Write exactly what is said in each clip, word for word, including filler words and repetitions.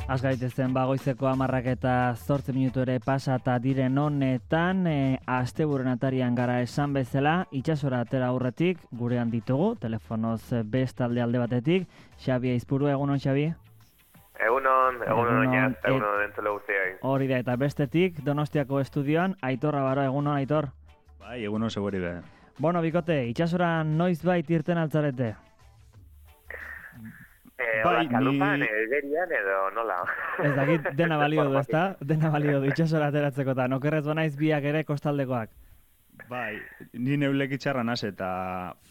Az gaitezen bagoizeko hamarrak eta zortzi minutu ere pasata diren honetan, e, astebururen atarian gara esan bezala, itsasora atera aurretik, gurean ditugu, telefonoz bestalde alde batetik. Xabi Aizpuru, egunon, Xabi? Egunon, egunon oinaz, egunon entzule guztiai. Hori da, eta bestetik, Donostiako estudioan, Aitor Rabaro, egunon, Aitor? Bai, egunon seguri be. Bueno, bikote, itsasora noiz bait irten altzarete? Eh, bai, hola, kalupan, ni... egerian edo nola. Ez dakit, dena balio du, ezta? Dena balio du, itsasora ateratzekotan. Okerrez banaiz biak ere kostaldekoak. Bai, ni neulek itxarra naz eta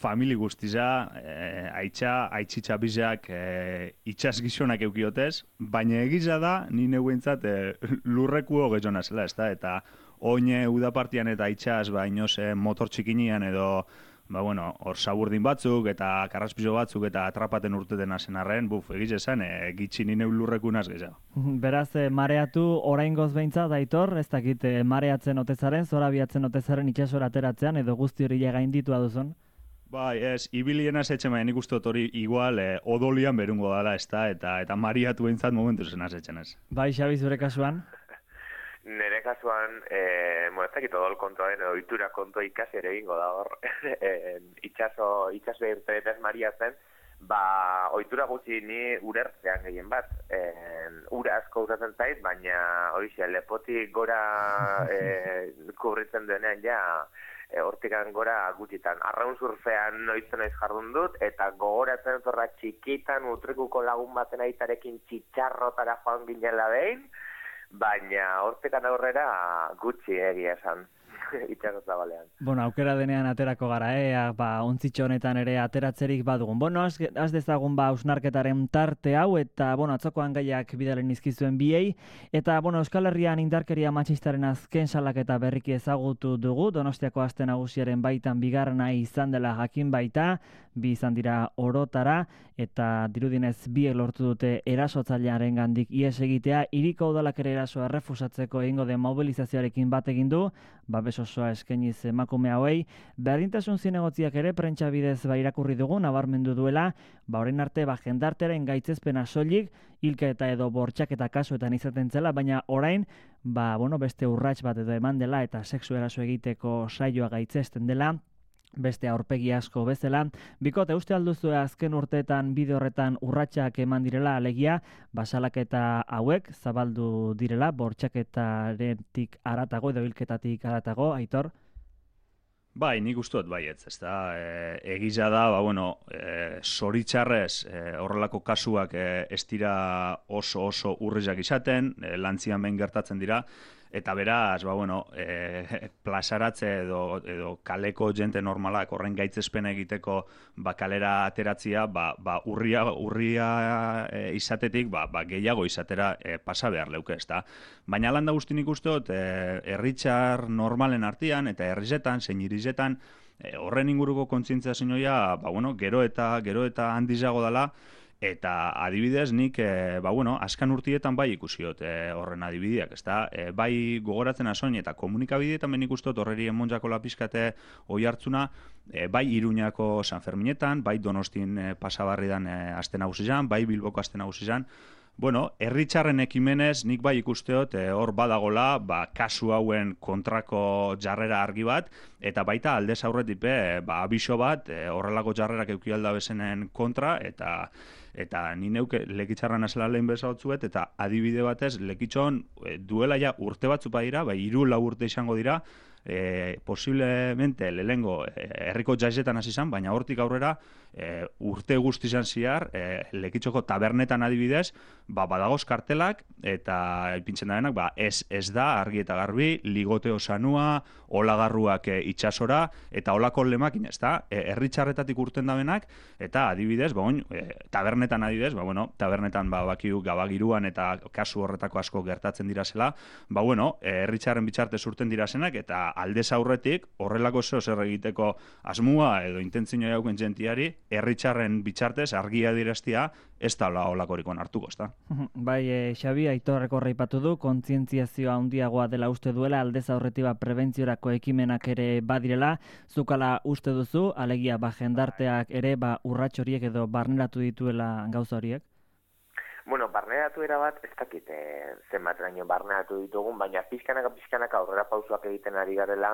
famili guztiza, e, aitxa, aitxitxa bizak e, itxas gizonak eukiotez, baina egiza da, ni neuentzat e, lurreku hogezona zela, ezta? Eta oine udapartian eta aitxas, ba, inoz, e, motor txikinian edo, ba, bueno, hor saburdin batzuk eta karraspizo batzuk eta atrapaten urteten azen arren, buf, egiz esan, e, gitxi nine lurreku naz gehiago. Beraz, e, mareatu oraingoz behintzat, Aitor, ez dakit e, mareatzen otezaren, zorabiatzen otezaren itxasora ateratzean, edo guzti hori gainditua duzun? Bai, ez, ibilienaz etxe maia nik uste hori igual e, odolian berungo dala, ez da, eta, eta mariatu behintzat momentu zen azetzen ez. Bai, Xabi, zure kasuan? Nere kasuan, eh, bueno, ez dakit odol kontua den, edo itura kontua ikasi ere egingo da hor, e, itxaso, itxaso irtenetaz mariatzen, ba, ohitura gutxi ni urertzean gehien bat. E, ura asko usatzen zait, baina horixe, lepotik gora e, kubritzen duenean ja, e, hortikan gora gutxitan. Arraun surfean noitzen naiz jardun dut, eta gogoratzen zorra txikitan utrikuko lagun baten aitarekin txitxarrotara joan ginela behin, baina hortekan aurrera gutxi egia esan, itxaso zabalean. Bueno, aukera denean aterako gara, eh? Ba, ontzitxo honetan ere ateratzerik badugun. Bueno, az, az dezagun ba ausnarketaren tarte hau, eta, bueno, atzokoan gaiak bidalen izkizuen biei, eta, bueno, Euskal Herrian indarkeria matxistaren azken salaketa berriki ezagutu dugu, Donostiako aste nagusiaren baitan bigarrena izan dela jakin baita, bi izan dira orotara, eta dirudinez biek lortu dute erasotzailearen gandik ies egitea, hiriko udalak ere erasoa errefusatzeko egingo den mobilizazioarekin bat egin du, babes osoa eskainiz emakume hauei, berdintasun zinegotziak ere prentsa bidez ba irakurri dugu, nabarmendu duela, ba orain arte ba jendarteren gaitzespena soilik, hilka eta edo bortxaketa kasuetan izaten zela, baina orain, ba bueno, beste urrats bat edo eman dela eta sexu eraso egiteko saioa gaitzesten dela, beste aurpegi asko bezala. Bikote, uste alduzu azken urteetan bide horretan urratsak eman direla, alegia, basalaketa hauek zabaldu direla, bortxaketaretik aratago edo hilketatik aratago, Aitor? Bai, nik uste dut baietz, ez da, e, egiza da, ba, bueno, e, zoritxarrez e, horrelako kasuak e, ez dira oso oso urrizak izaten, e, lantzian behin gertatzen dira, eta beraz, ba, bueno, e, plazaratze edo, edo kaleko jente normalak horren gaitzespen egiteko ba, kalera ateratzia, ba, ba, urria, urria e, izatetik ba, ba, gehiago izatera e, pasa behar leuke, ez da. Baina landa guzti nik uste dut, e, erritxar normalen artean eta herrizetan, zein irizetan, e, horren inguruko kontzientziazioa, ba, bueno, gero eta, gero eta handizago dela, eta adibidez nik, e, ba bueno, azkan urtietan bai ikusiot e, horren adibideak, ezta? E, bai gogoratzen asoin eta komunikabideetan ben ikustot horreri emonjako lapiskate oi hartzuna, e, bai Iruñako San Ferminetan, bai Donostin e, pasabarridan e, aste nagusizan, bai Bilboko aste nagusizan. Bueno, herritxarren ekimenez nik bai ikusteot e, hor badagola, ba, kasu hauen kontrako jarrera argi bat, eta baita aldez aurretik be, ba, abiso bat, e, horrelako jarrerak eukialda bezenen kontra, eta eta ni neuke lekitxarran azela lehen bezalotzuet, eta adibide batez lekitxon e, duela ja urte batzu badira, bai hiru lau urte izango dira, e, posiblemente lehengo e, herriko jaizetan hasi izan, baina hortik aurrera e, urte guztizan ziar, e, lekitxoko tabernetan adibidez, ba, badagoz kartelak, eta ipintzen darenak, ba, ez, ez da argi eta garbi, ligote osanua, olagarruak e, itxasora, eta olako lemakin, ez da, e, herritxarretatik urten dabenak, eta adibidez, ba, oin, e, tabernetan adibidez, ba, bueno, tabernetan ba, bakiu gabagiruan eta kasu horretako asko gertatzen dira zela, ba, bueno, e, herritxarren bitxartez urten dira zenak, eta aldez aurretik, horrelako zeo zer egiteko asmua edo intentzioa jauken jentiari, herritxarren bitxartez argia direstia, ez da olakorik onartuko, ez da. Bai, e, Xabi, Aitorrek horreipatu du, kontzientziazioa handiagoa dela uste duela, aldez aurretik preventziorako ekimenak ere badirela, zukala uste duzu, alegia ba jendarteak ere ba urrats horiek edo barneratu dituela gauza horiek? Bueno, barneratu erabat, ez dakit eh, zenbat raino barneratu ditugun, baina pizkanaka pizkanaka aurrera pausoak egiten ari garela,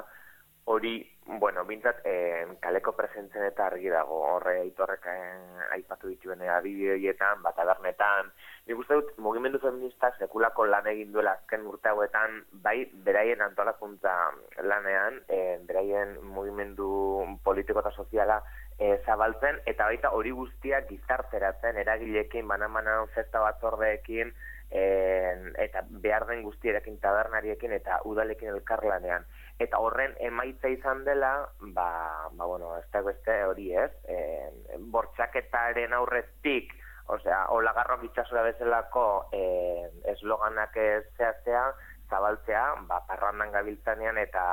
hori, bueno, bintzat, eh, kaleko presentzen eta argi dago, horre Aitorrek eh, aipatu dituen adibideetan, bat tabernetan. Nik uste dut, mugimendu feministak sekulako lan egin duela azken urte hauetan, bai, beraien antolakuntza lanean, eh, beraien mugimendu politiko eta soziala eh, zabaltzen, eta baita hori guztiak gizarteratzen, eragileekin, banan-banan festa batzordeekin, eh, eta behar den guztierekin, tabernariekin eta udalekin elkarlanean. Eta horren emaitza izan dela, ba, ba bueno, ez da beste hori ez, e, bortxaketaren aurretik, osea, olagarrok itxasora bezalako e, esloganak zehaztea, zabaltzea, ba, parrandan gabiltzanean eta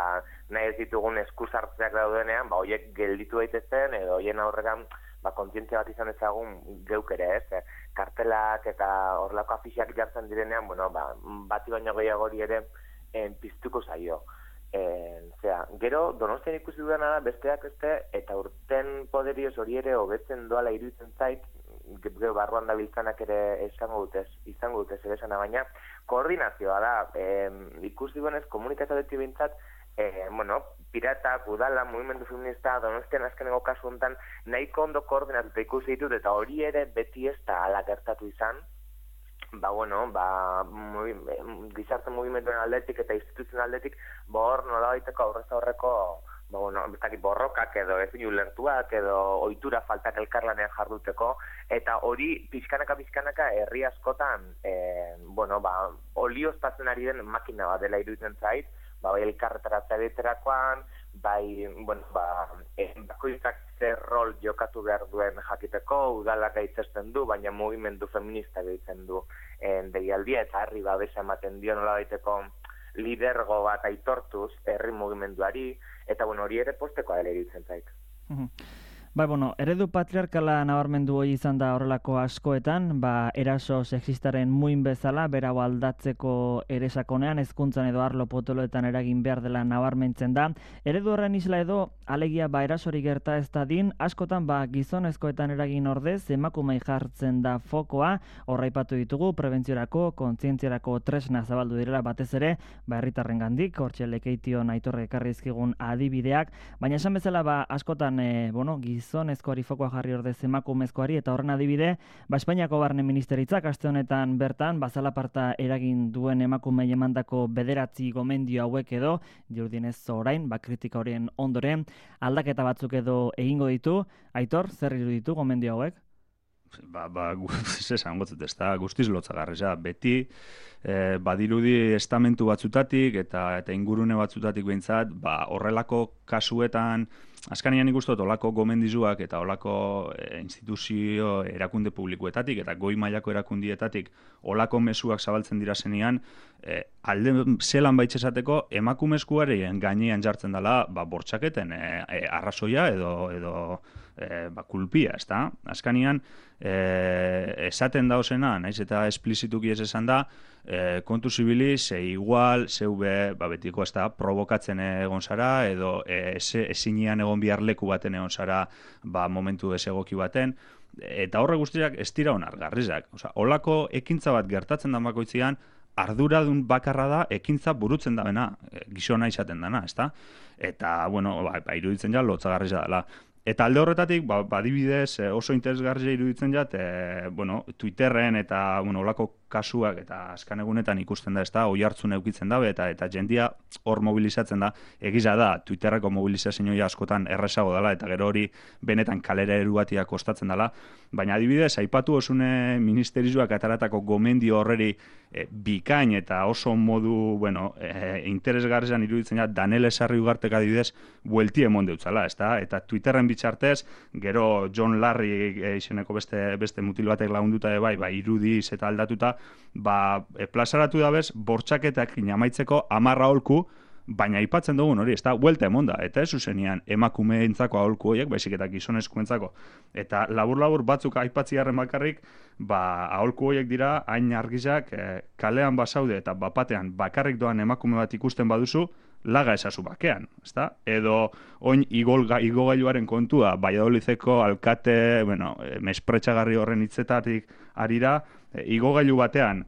nahi ez ditugun eskuzartzeak daudenean, ba, horiek gelditu daitezen, edo horien aurregan, ba, kontzientzia bat izan ezagun geuk ere ez, kartelak eta horrelako afixak jartzen direnean, bueno, ba, bati baino gehiagori ere en, piztuko zaio. E, zera, gero Donostian ikusi dudana da besteak beste eta urten poderioz hori ere hobetzen doala iruditzen zait, gero barruan dabiltzanak ere izango dutez, izango dutez ere esana, baina koordinazioa da, e, ikusi duenez komunikazioetik bintzat, e, bueno, piratak, udala, mugimendu feminista, Donostian azkeneko kasu honetan nahiko ondo koordinatuta ikusi ditut eta hori ere beti ez da ala gertatu izan. Ba, bueno, ba, muy, gizarte mugimenduen aldetik eta instituzioen aldetik, ba, hor nola baiteko aurrez aurreko, ba, bueno, bestakit borrokak edo ezin ulertuak edo ohitura faltak elkarlanean jarduteko, eta hori pizkanaka pizkanaka herri askotan, e, bueno, ba, olioztatzen ari den makina bat dela iruditzen zait, ba, bai elkarretaratzea diterakoan, bai, bueno, ba, e, bakoitzak zer rol jokatu behar duen jakiteko, udalak gaitzesten du, baina mugimendu feminista gaitzen du en deialdia, eta herri babesa ematen dio nola baiteko lidergo bat aitortuz herri mugimenduari, eta bueno, hori ere postekoa dela iruditzen zait. Bai, bueno, eredu patriarkala nabarmendu hori izan da horrelako askoetan, ba, eraso sexistaren muin bezala, berau aldatzeko ere sakonean, hezkuntzan edo arlo potoloetan eragin behar dela nabarmentzen da. Eredu horren isla edo, alegia ba erasori gerta ez dadin, askotan ba gizonezkoetan eragin ordez, emakumei jartzen da fokoa, horraipatu ditugu, prebentziorako, kontzientziarako tresna zabaldu direla batez ere, ba herritarren gandik, hortxe lekeition Aitorrek ekarri dizkigun adibideak, baina esan bezala ba askotan, e, bueno, gizonezkoari fokoa jarri ordez emakumezkoari, eta horren adibide, ba Espainiako Barne Ministeritzak aste honetan bertan, bazalaparta eragin duen emakumei emandako bederatzi gomendio hauek edo, dirudienez orain, ba kritika horien ondoren, aldaketa batzuk edo egingo ditu. Aitor, zer iruditu gomendio hauek? Ba, ba, esan gotzut, ez da, guztiz lotzagarria. Beti, eh, badirudi estamentu batzutatik eta eta ingurune batzutatik behintzat, ba, horrelako kasuetan, azkanian ikustot, olako gomendizuak eta olako e, instituzio erakunde publikoetatik eta goi mailako erakundietatik olako mezuak zabaltzen dira zenean, e, alde zelan baitxesateko emakumezkoaren gainean jartzen dela ba, bortxaketen e, e, arrazoia edo, edo e, ba, kulpia, ez da? Azkanian, e, esaten dauzena, naiz eta esplizituki ez esan da, e, kontu zibili, ze igual, zeube, ba, betiko ez da, provokatzen egon zara, edo e, ezinean egon bihar leku baten egon zara, ba, momentu desegoki baten, eta horre guztiak ez dira onargarrizak. Osa, holako ekintza bat gertatzen da bakoitzean, arduradun bakarra da ekintza burutzen dabena, gizona izaten dana, ezta? Eta, bueno, ba, ba iruditzen ja, lotzagarria dela. Eta alde horretatik, ba, badibidez oso interesgarria iruditzen jat, e, bueno, Twitterren eta, bueno, olako kasuak eta azkan egunetan ikusten da, ez da, oi hartzun eukitzen dabe, eta eta jendia hor mobilizatzen da, egiza da, Twitterreko mobilizazioa askotan errezago dela, eta gero hori benetan kalera erugatia kostatzen dela, baina adibidez, aipatu osune ministerizuak ataratako gomendio horreri e, bikain eta oso modu, bueno, e, interesgarrian iruditzen da, Danele Sarri Ugartek adibidez, buelti emon deutzala, ez da, eta Twitterren bitxartez, gero John Larry e, izeneko beste, beste mutil batek lagunduta bai, ba, irudiz eta aldatuta, ba, e, plazaratu dabez, bortxaketak inamaitzeko amarra aholku, baina aipatzen dugun hori, ez da, huelta emonda, eta ez zuzenean emakumeentzako aholku horiek, baizik eta gizonezkoentzako. Eta labur-labur batzuk aipatziarren bakarrik, ba, aholku horiek dira, hain argizak, e, kalean basaude eta bapatean bakarrik doan emakume bat ikusten baduzu, laga esazu bakean, ezta? Edo oin igolga, igogailuaren kontua, Valladolideko alkate, bueno, mespretxagarri horren hitzetatik arira, e, igogailu batean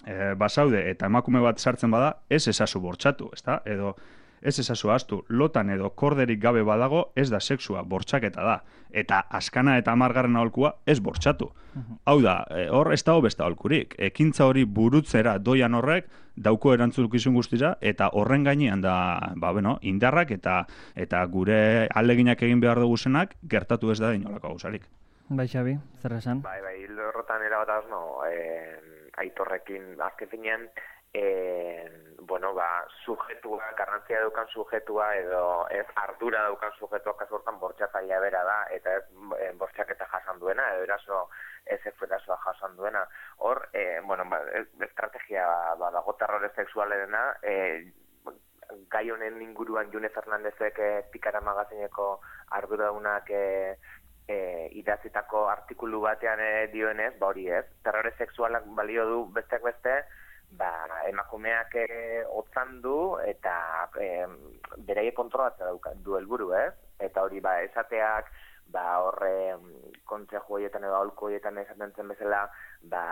e, basaude eta emakume bat sartzen bada, ez esazu bortxatu, ezta? Edo ez esazu astu, lotan edo korderik gabe badago, ez da sexua, bortxaketa da. Eta askana eta amargarren aholkua ez bortxatu. Hau da, e, hor ez dago besta aholkurik. Ekintza hori burutzera doian horrek, dauko erantzukizun guztira, eta horren gainean da, ba, bueno, indarrak eta eta gure aleginak egin behar dugu zenak, gertatu ez da inolako gauzarik. Bai, Xabi, zer esan? Bai, bai, hildo horretan erabataz, no, eh, aitorrekin, azken finean, eh, bueno, ba, sujetua, garrantzia daukan sujetua, edo ez ardura daukan sujetua, kasu hortan bortxatzailea bera da, eta ez e, bortxaketa jasan duena, edo eraso, ez erasoa jasan duena. Hor, e, bueno, ba, estrategia ba, dago terrore sexualerena, e, gai honen inguruan June Fernandezek e, Pikara magazineko arduradunak e, e, idatzitako artikulu batean e, dioenez, ba hori ez, terrore sexualak balio du besteak beste, ba, emakumeak e, otzan du eta e, beraie kontrolatzea du helburu, ez? Eta hori ba, esateak, ba, horre kontzeju horietan edo aholku horietan esaten zen bezala, ba,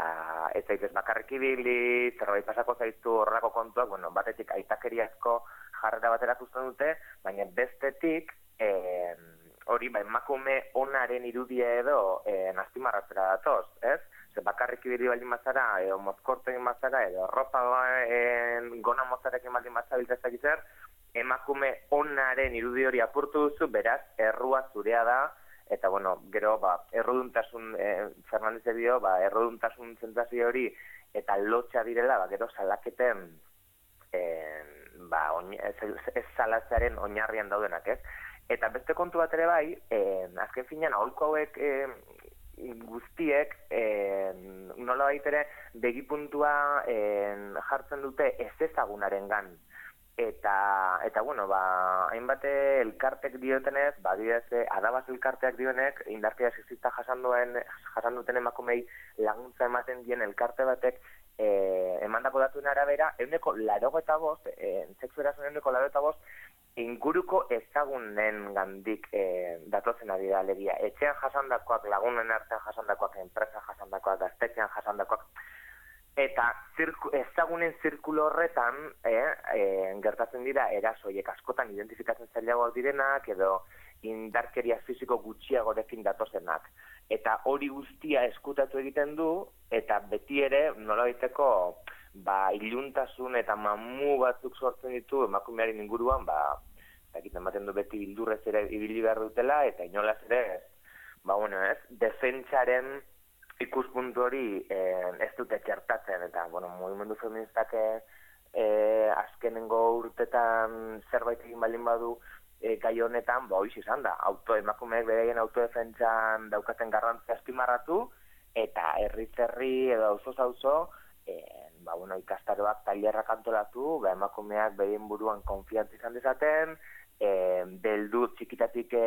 ez zaitez bakarrik ibili, zerbait pasako zaizu horrelako kontuak, bueno, batetik aitakeriazko jarrera batera uzten dute, baina bestetik, e, hori, ba, emakume onaren irudia edo e, nastimarratzera datoz, ez? Ze bakarrik ibili baldin bazara, edo mozkortu egin bazara, edo ropa e, gona mozarekin baldin bazara biltzezak izer, emakume onaren irudi hori apurtu duzu, beraz, errua zurea da, eta, bueno, gero, ba, erruduntasun, e, Fernandez dio, ba, erruduntasun zentzazio hori, eta lotxa direla, ba, gero salaketen, e, ba, oin, ez, ez salatzearen oinarrian daudenak, ez? Eta beste kontu bat ere bai, e, azken finean, aholku hauek e, guztiek, e, nola baitere, begipuntua e, jartzen dute ez ezagunaren gan. Eta, eta bueno, ba, hainbate elkartek diotenez, ba, didez, adabaz elkarteak dionek, indarkeria sexista jasan duen, jasan duten emakumei laguntza ematen dien elkarte batek, e, emandako datuen arabera, euneko larego eta bost, e, sexu erasoen euneko larego eta bost, inguruko ezagunen gandik e, datozen ari da alegia. Etxean jasandakoak, lagunen artean jasandakoak, enpresa jasandakoak, gaztetxean jasandakoak, eta zirku, ezagunen zirkulo horretan e, e, gertatzen dira erasoiek askotan identifikatzen zailagoak direnak edo indarkeria fisiko gutxiagorekin datozenak. Eta hori guztia eskutatu egiten du eta beti ere nolabaiteko ba, iluntasun eta mamu batzuk sortzen ditu emakumearen inguruan, ba, egiten baten du beti bildurrez ere ibili behar dutela, eta inolaz ere, ba, bueno, ez, defentsaren ikuspuntu hori eh, ez dute txertatzen, eta, bueno, mugimendu feministak eh, azkenengo urtetan zerbait egin baldin badu eh, gai honetan, ba, hoiz izan da, auto, emakumeek beraien autodefentsan daukaten garrantzia azpimarratu, eta herri-herri edo auzo-auzo, eh, ba, bueno, ikastaroak tailerrak antolatu, ba, emakumeak behien buruan konfiantza izan dezaten, e, beldur txikitatik e,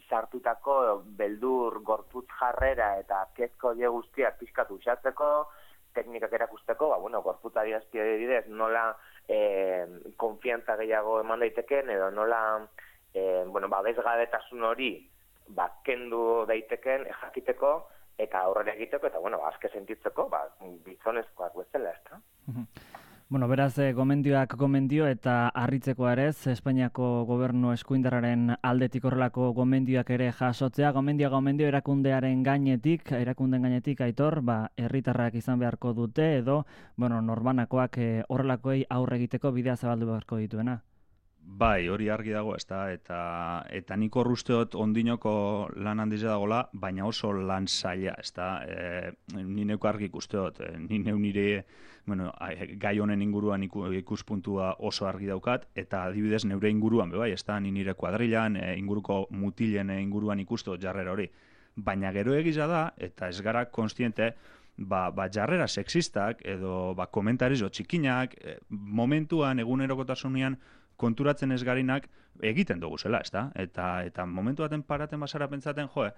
sartutako beldur gorputz jarrera eta kezko die guztiak pixkatu usatzeko, teknikak erakusteko, ba, bueno, gorputz adierazpide bidez nola e, konfiantza gehiago eman daiteken, edo nola e, bueno, ba, bezgabetasun hori ba, kendu daiteken e, jakiteko, eta aurrera egiteko, eta, bueno, azke sentitzeko, ba, bizonezkoak bezala, ez da? Bueno, beraz, eh, gomendioak gomendio eta harritzekoa ere, Espainiako gobernu eskuindarraren aldetik horrelako gomendioak ere jasotzea, gomendio gomendio erakundearen gainetik, erakunden gainetik, Aitor, ba, herritarrak izan beharko dute, edo, bueno, norbanakoak eh, horrelakoei aurre egiteko bidea zabaldu beharko dituena. Bai, hori argi dago, ezta, eta eta nik hor usteot ondinoko lan handize dagola, baina oso lan zaila, ezta, e, ni neuko argi ikusteot, e, ni neu nire, bueno, gai honen inguruan ikuspuntua oso argi daukat, eta adibidez neure inguruan, be bai, ezta, ni nire kuadrilan, e, inguruko mutilen inguruan ikusteot jarrera hori. Baina gero egiza da, eta ez gara konstiente, ba, ba jarrera sexistak, edo ba, komentarizo txikinak, e, momentuan, egunerokotasunean, konturatzen ez garinak egiten dugu zela, ezta? Eta eta momentu baten paraten basara pentsaten, jo,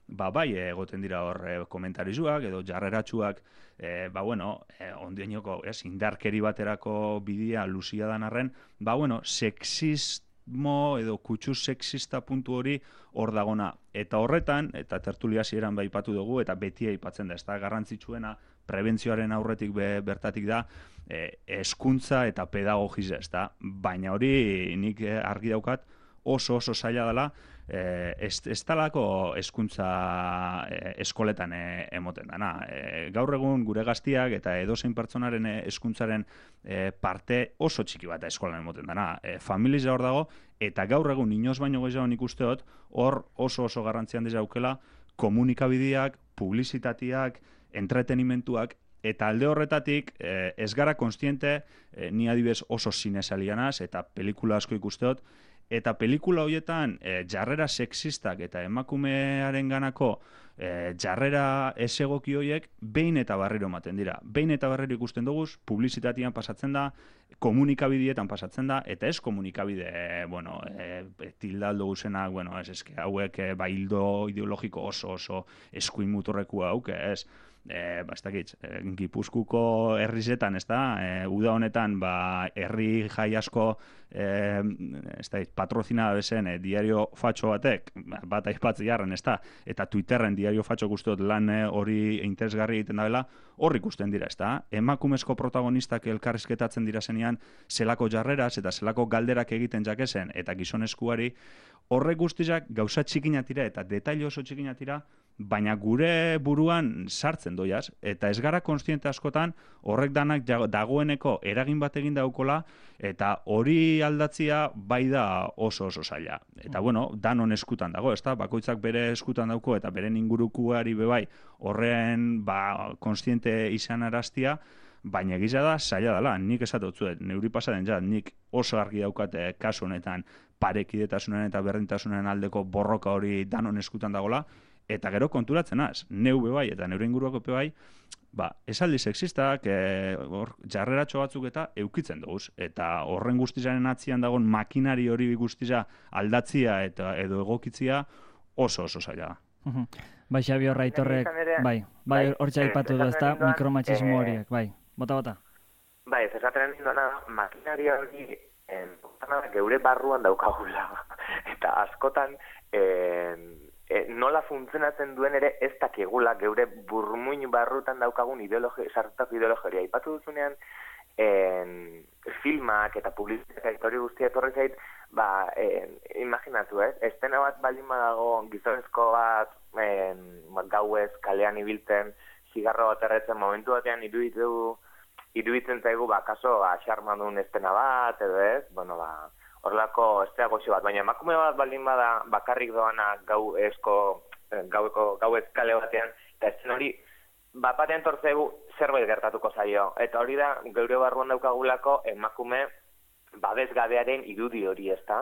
ba bai egoten dira hor e, komentarizuak edo jarreratsuak, e, ba bueno, e, ondienoko, ez, indarkeri baterako bidea luzia dan arren, ba bueno, sexismo edo kutsu sexista puntu hori hor dagona. Eta horretan, eta tertulia hasieran baipatu dugu, eta beti aipatzen da, ez da garrantzitsuena, prebentzioaren aurretik be, bertatik da, e, hezkuntza eta pedagogiza, ez da, baina hori nik argi daukat oso oso zaila dela, e, ez, ez talako hezkuntza e, eskoletan e, emoten dana. E, gaur egun gure gaztiak eta edozein pertsonaren hezkuntzaren e, parte oso txiki bat eskolan emoten dana. E, familiza hor dago, eta gaur egun inoz baino gehiago nik usteot, hor oso oso garrantzian dezaukela komunikabideak, publizitateak, entretenimentuak, eta alde horretatik eh, ez gara konstiente, eh, ni adibez oso zinesalianaz, eta pelikula asko ikusteot, eta pelikula horietan eh, jarrera sexistak eta emakumearen ganako eh, jarrera ez egoki horiek behin eta barriro ematen dira. Behin eta barriro ikusten dugu, publizitatean pasatzen da, komunikabidietan pasatzen da, eta ez komunikabide, eh, bueno, eh, tildaldo guzenak, bueno, ez eske hauek eh, baildo ideologiko oso oso eskuin muturreku hauk, ez, E, ba, ez dakit, e, Gipuzkuko herrizetan, ez da, e, uda honetan, ba, herri jai asko, e, ez dakit, patrozina bezen, e, diario fatxo batek, bat aipatzi jarren, ez da, eta Twitterren diario fatxo guztiot lan hori e, interesgarri egiten dabela, hor ikusten dira, ez da, emakumezko protagonistak elkarrizketatzen dira zenean, zelako jarreraz eta zelako galderak egiten jakesen, eta gizonezkuari, horrek guztizak gauza txikinatira eta detaile oso txikinatira, baina gure buruan sartzen doiaz, eta ez gara konstiente askotan horrek danak dagoeneko eragin bat egin daukola, eta hori aldatzia bai da oso oso zaila. Eta bueno, danon eskutan dago, ezta? Bakoitzak bere eskutan dauko eta beren ingurukuari bebai horren ba, konstiente izan araztia, baina egiza da zaila dela, nik esatotzuet, neuri pasaden ja, nik oso argi daukate kasu honetan parekidetasunen eta berdintasunen aldeko borroka hori danon eskutan dagola, eta gero konturatzen az, neu bebai eta neure inguruako bebai, ba, esaldi sexistak, e, hor, jarreratxo batzuk eta eukitzen duguz. Eta horren guztizaren atzian dagoen makinari hori guztiza aldatzia eta edo egokitzia oso oso zaila da. Bai, Xabi Horraitorrek, bai, bai, hortxe aipatu du, ezta, mikromatxismo horiek, bai, bota, bota. Bai, ez esaten ninduena, makinari hori geure barruan daukagula. Eta askotan, E, nola funtzionatzen duen ere ez dakigula geure burmuin barrutan daukagun ideologi, sartutako ideologia. Aipatu duzunean en, filmak eta publizitatea hori guztia etorri zait, ba, en, imaginatu, ez? Estena bat baldin badago gizonezko bat en, gauez kalean ibiltzen, zigarro bat erretzen momentu batean iruditu, iruditzen zaigu, ba, kaso, xarmadun estena bat, edo ez, bueno, ba, horrelako estea goxo bat, baina emakume bat baldin bada bakarrik doana gau esko, gaueko, gau eskale batean, eta ezen hori, bat batean tortzegu zerbait gertatuko zaio. Eta hori da, geure barruan daukagulako emakume babesgabearen irudi hori, ez da?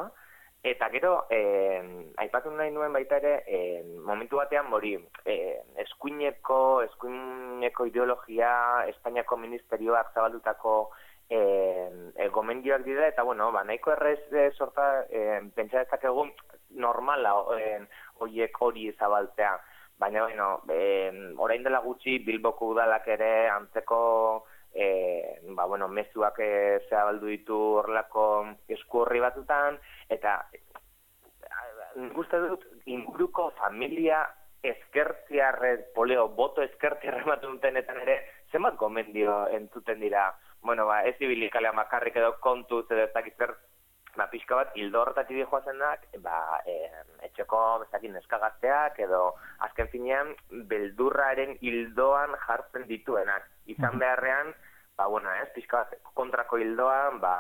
Eta gero, eh, aipatu nahi nuen baita ere, eh, momentu batean mori, eh, eskuineko, eskuineko ideologia, Espainiako ministerioak zabaldutako E, e, gomendioak dira, eta bueno, ba, nahiko errez e, sorta e, pentsa dezakegu normala horiek hori zabaltzea. Baina, bueno, e, orain dela gutxi Bilboko udalak ere antzeko e, ba, bueno, mezuak e, zabaldu ditu horrelako esku horri batutan, eta nik uste dut inguruko familia eskertziarrez, poleo, boto eskertziarre ematen dutenetan ere, zenbat gomendio entzuten dira. Bueno, ba, ez ibilikalea makarrik edo kontuz edo ez dakitzer, ba, pixka bat, hildo horretatik di joazenak, ba, e, etxeko, bezakin, neskagazteak edo azken finean, beldurraren hildoan jartzen dituenak. Izan beharrean, ba, bueno, ez, pixka bat, kontrako hildoan, ba,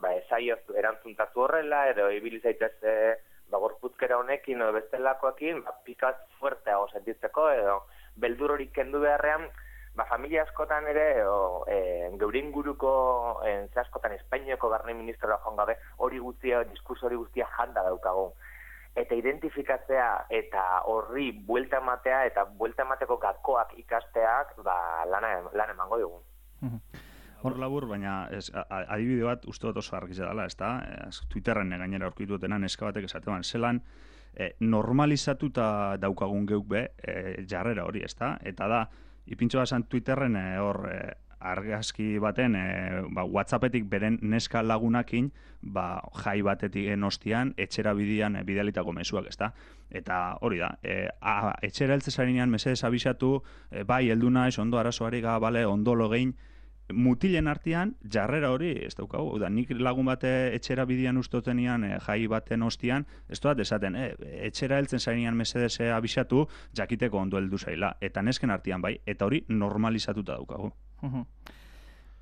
ba, esaioz erantzuntatu horrela, edo ibili zaitez, e, ba, gorputzkera honekin, edo bestelakoekin, ba, pixka bat fuerteago sentitzeko, edo beldur hori kendu beharrean, ba, familia askotan ere, o, e, geure inguruko, e, ze askotan Espainiako barne ministroa joan gabe, hori guztia, diskurso hori guztia janda daukagu. Eta identifikatzea eta horri buelta ematea eta buelta emateko gakoak ikasteak, ba, lana, lan emango dugu. Hor labur, baina ez, adibide bat uste dut oso argizia dela, ez da? Twitterren gainera aurkitu dutenan eska batek esatean, zelan e, normalizatuta daukagun geuk be e, jarrera hori, ezta? Eta da, ipintxo basan Twitterren e, hor e, argazki baten e, ba, WhatsAppetik beren neska lagunakin ba, jai batetik ostian etxera bidian e, bidalitako mezuak, ezta? Eta hori da, e, a, etxera heltzezarinean mesedez abisatu, e, bai, heldu naiz, ondo arazoari ga, bale, ondo logein, mutilen artean jarrera hori ez daukagu. Da, nik lagun bate etxera bidian ustotenian e, jai baten ostian, ez doat esaten, e, etxera heltzen zainean mesedez e, abisatu, jakiteko ondo heldu zaila. Eta nesken artean bai, eta hori normalizatuta daukagu.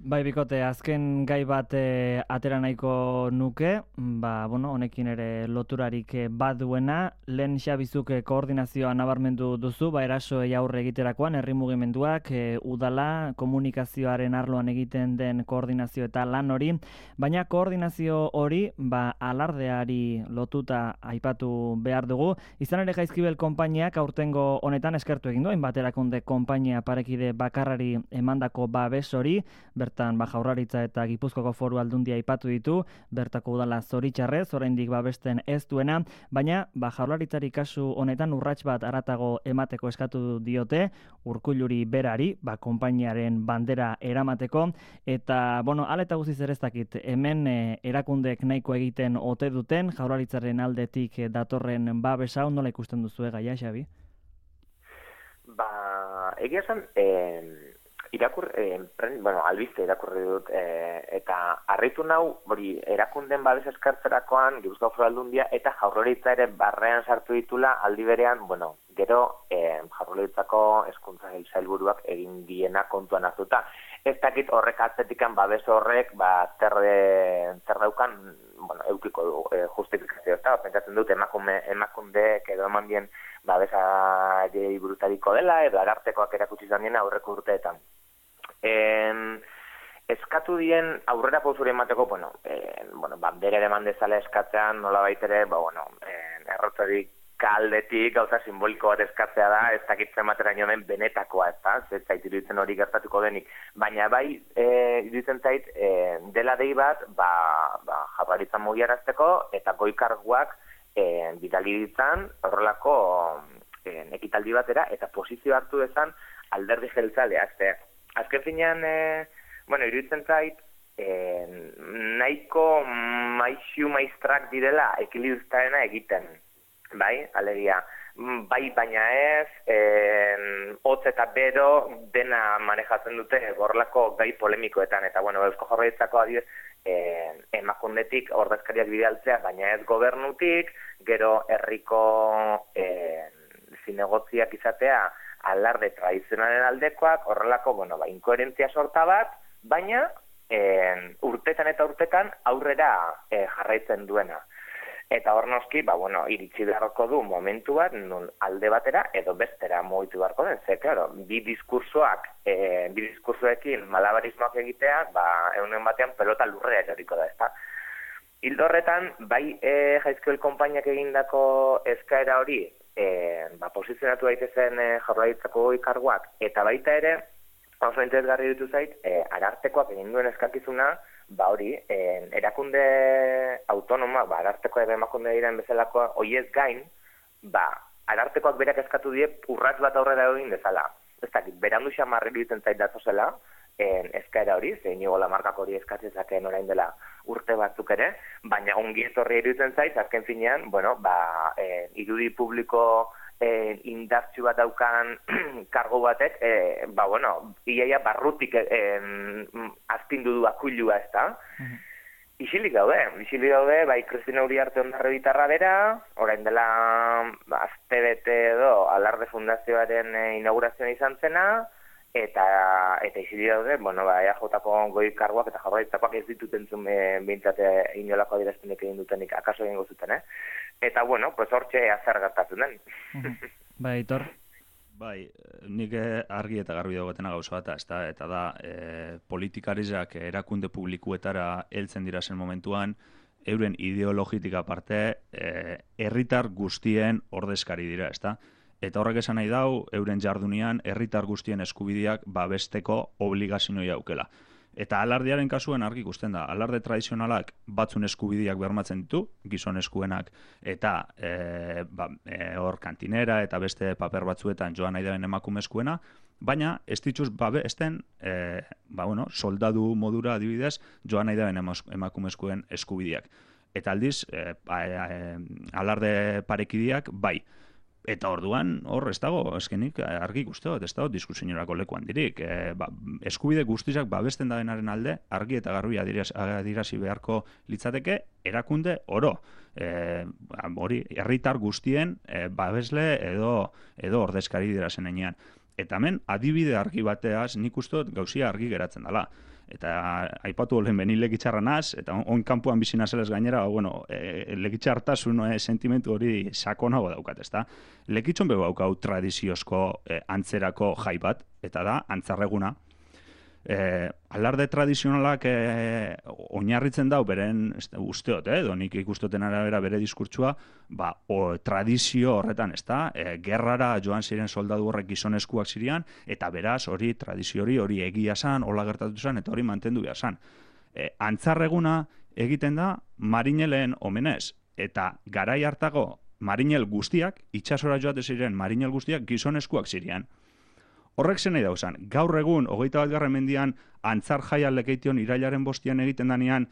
Bai, bikote, azken gai bat e, atera nahiko nuke, ba, bueno, honekin ere loturarik baduena, lehen xabizuk koordinazioa nabarmendu duzu, ba, erasoei aurre egiterakoan, herri mugimenduak, e, udala, komunikazioaren arloan egiten den koordinazio eta lan hori, baina koordinazio hori, ba, alardeari lotuta aipatu behar dugu, izan ere Jaizkibel konpainiak aurtengo honetan eskertu egin duen, baterakunde konpainia parekide bakarrari emandako babes hori, bertan ba, Jaurlaritza eta Gipuzkoako Foru Aldundia aipatu ditu, bertako udala zoritxarrez, oraindik babesten ez duena, baina ba, Jaurlaritzari kasu honetan urrats bat aratago emateko eskatu diote, Urkulluri berari, ba, konpainiaren bandera eramateko, eta, bueno, ala eta guziz ere ez dakit, hemen e, erakundek nahiko egiten ote duten, Jaurlaritzaren aldetik e, datorren babesa, nola ikusten duzu gaia, Xabi? Ba, egia esan, eh... Irakur, eh, bueno, albiste irakurri dut, eh, eta harritu nau, hori, erakunden babes eskartzerakoan, Gipuzkoako Foru Aldundia, eta Jaurlaritza ere barrean sartu ditula, aldi berean, bueno, gero eh, Jaurlaritzako hezkuntza sailburuak egin diena kontuan hartuta. Ez dakit horrek atzetikan babes horrek, ba, zer, zer daukan, bueno, eukiko du, eh, justifikazio, eta pentsatzen dut emakume, emakundeek edo eman dien babesa burutariko dela, edo arartekoak erakutsi izan diena aurreko urteetan. En, eskatu dien aurrera pausuri emateko, bueno, en, bueno, bandera ere mandezala eskatzean, nola baitere, ba, bueno, errotzarik kaldetik gauza simboliko bat eskatzea da, ez dakitzen matera nioen benetakoa, ez da, ez zait iruditzen hori gertatuko denik. Baina bai, e, iruditzen zait, e, dela dei bat, ba, ba Jaurlaritza mugiarazteko, eta goikarguak e, bidali ditzan, horrelako e, ekitaldi batera, eta posizio hartu dezan alderdi jeltzalea, ez azken finean, e, bueno, iruditzen zait, e, nahiko maizu maiztrak direla ekilibristarena egiten, bai, alegia, bai baina ez, e, hotz eta bero dena manejatzen dute horrelako gai polemikoetan, eta bueno, Eusko Jaurlaritzako adibidez, e, emakundetik ordezkariak bidaltzea, baina ez gobernutik, gero herriko e, zinegotziak izatea, alarde tradizionalen aldekoak, horrelako, bueno, ba, inkoherentzia sorta bat, baina e, urtetan eta urtetan aurrera e, jarraitzen duena. Eta hor noski, ba, bueno, iritsi beharko du momentu bat, nun alde batera edo bestera mugitu beharko den, ze, claro, bi diskursoak, e, bi diskursoekin malabarismoak egitea, ba, egunen batean pelota lurrea eroriko da, ezta. Hildo horretan, bai e, Jaizkibel konpainiak egindako eskaera hori, E, ba, posizionatu daitezen e, Jaurlaritzako ikarguak, eta baita ere, oso interesgarri ditu zait, e, arartekoak egin duen eskakizuna, ba hori, e, erakunde autonoma, ba, ararteko edo emakunde diren bezalakoa, hoiez gain, ba, arartekoak berak eskatu die urrats bat aurrera egin dezala. Ez dakit, berandu xamarri ditzen zait datozela, en, eskaera hori, zein nigo lamarkako hori eskatzezakeen orain dela urte batzuk ere, baina ongi etorri iruditzen zait, azken finean, bueno, ba, eh, irudi publiko eh, indartsu bat daukan kargo batek, eh, ba, bueno, iaia barrutik eh, azpindu du akuilua, ez da? Uh-huh. Isilik daude, isilik daude, bai, Kristina Uriarte Ondarre bitarra bera, orain dela ba, azte bete edo Alarde Fundazioaren eh, inaugurazioa izan zena, eta eta isili daude, bueno, ba, E A Jko goi karguak eta Jaurlaritzakoak ez dituten zuen e, behintzate inolako adierazpenek egin dutenik, akaso egingo zuten, eh? Eta, bueno, pues hortxe azer gertatzen den. Bai, Aitor? Bai, nik argi eta garbi dagoetena gauza bat, ezta, eta da, e, politikarizak erakunde publikuetara heltzen dira zen momentuan, euren ideologitik aparte, e, herritar guztien ordezkari dira, ezta? Eta horrek esan nahi dau, euren jardunian, herritar guztien eskubideak babesteko obligazioa aukela. Eta alardearen kasuen argi ikusten da, alarde tradizionalak batzun eskubideak bermatzen ditu, gizon eskuenak, eta e, ba, e, hor kantinera eta beste paper batzuetan joan nahi den emakume eskuena, baina ez dituz babesten e, ba, bueno, soldadu modura adibidez joan nahi den emakume eskuen eskubideak. Eta aldiz, e, e, alarde parekideak bai. Eta orduan, hor, ez dago, eskenik, argi ikusteot, ez dago diskusiorako lekuan dirik. E, ba, eskubide guztizak babesten da denaren alde, argi eta garbi adirazi beharko litzateke, erakunde oro. E, hori, herritar guztien e, babesle edo, edo ordezkari dira zenean. Eta hemen, adibide argi bateaz, nik usteot gauzia argi geratzen dela. Eta aipatu olen beni legitxarra naz, eta on kanpuan bizi nazelez gainera, bueno, e, legitxartasun e, sentimentu hori sakonago daukat, ezta? Legitxon bego haukau tradiziozko e, antzerako jai bat, eta da, antzarreguna. E, alarde tradizionalak e, oinarritzen dau, beren usteot, eh, edo nik ikustoten arabera bere diskurtsua, ba, o, tradizio horretan, ezta? E, gerrara joan ziren soldadu horrek gizoneskuak zirian, eta beraz, hori tradizio hori, hori egia zan, hola gertatu zan, eta hori mantendu behar zan. E, antzarreguna egiten da marinelen omenez, eta garai hartago marinel guztiak, itxasora joate ziren marinel guztiak gizoneskuak zirian. Horrek zen nahi dauzan, gaur egun, hogeita bat garren mendian, antzar jaia lekeition irailaren bostian egiten danean,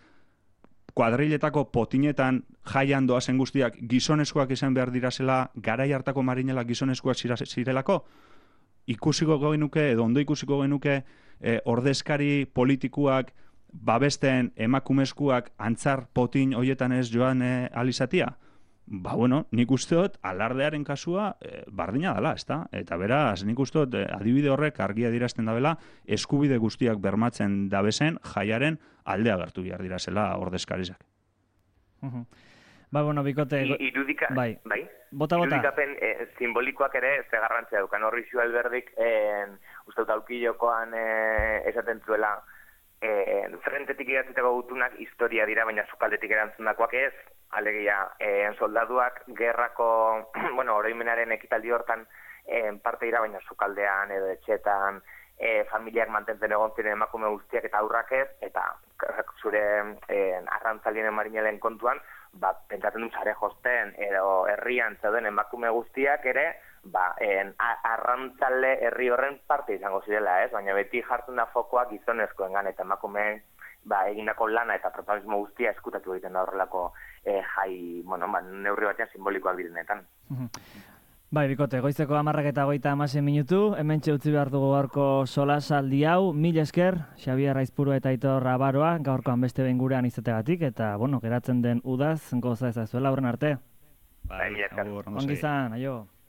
kuadriletako potinetan jaian doazen guztiak gizoneskuak izan behar dirazela, garai hartako marinela gizoneskuak zirelako, ikusiko genuke, edo ondo ikusiko genuke, e, ordezkari politikuak, babesten emakumeskuak antzar potin hoietan ez joan e, alizatia? Ba, bueno, nik usteot alardearen kasua e, bardina dela, ezta? Eta beraz, nik usteot e, adibide horrek argia dirazten dabela, eskubide guztiak bermatzen dabezen jaiaren aldea agertu behar dirazela ordezkarizak. Uh-huh. Ba, bueno, bikote... I, irudika, bai, bai? Bota, bota. Irudikapen e, simbolikoak ere ze garrantzia dukan. Horri Xu Alberdik, e, uste dut aukillokoan e, esaten zuela, e, frentetik idatzitako gutunak historia dira, baina sukaldetik erantzundakoak ez, alegia, eh, soldaduak gerrako, bueno, oroimenaren ekitaldi hortan eh, parte dira, baina sukaldean edo etxetan, eh, familiak mantentzen egon ziren emakume guztiak eta aurrak ez, eta zure eh, arrantzalien marinelen kontuan, ba, pentsatzen dut sare josten edo herrian zeuden emakume guztiak ere, ba, en, arrantzale herri horren parte izango zirela, ez? Baina beti jartzen da fokoak gizonezkoengan eta emakumeen ba, egindako lana eta protagonismo guztia eskutatu egiten da horrelako e, jai, bueno, ba, neurri batean simbolikoak direnetan. Bai, bikote, goizeko hamarrak eta goita amasen minutu, hemen utzi behar dugu gaurko solasaldi hau, mil esker, Xabier Aizpuru eta Aitor Abaroa, gaurkoan beste behin gurean izategatik, eta, bueno, geratzen den udaz, goza ezazuela, horren arte. Bai, Bai, agur, Ongi izan, aio.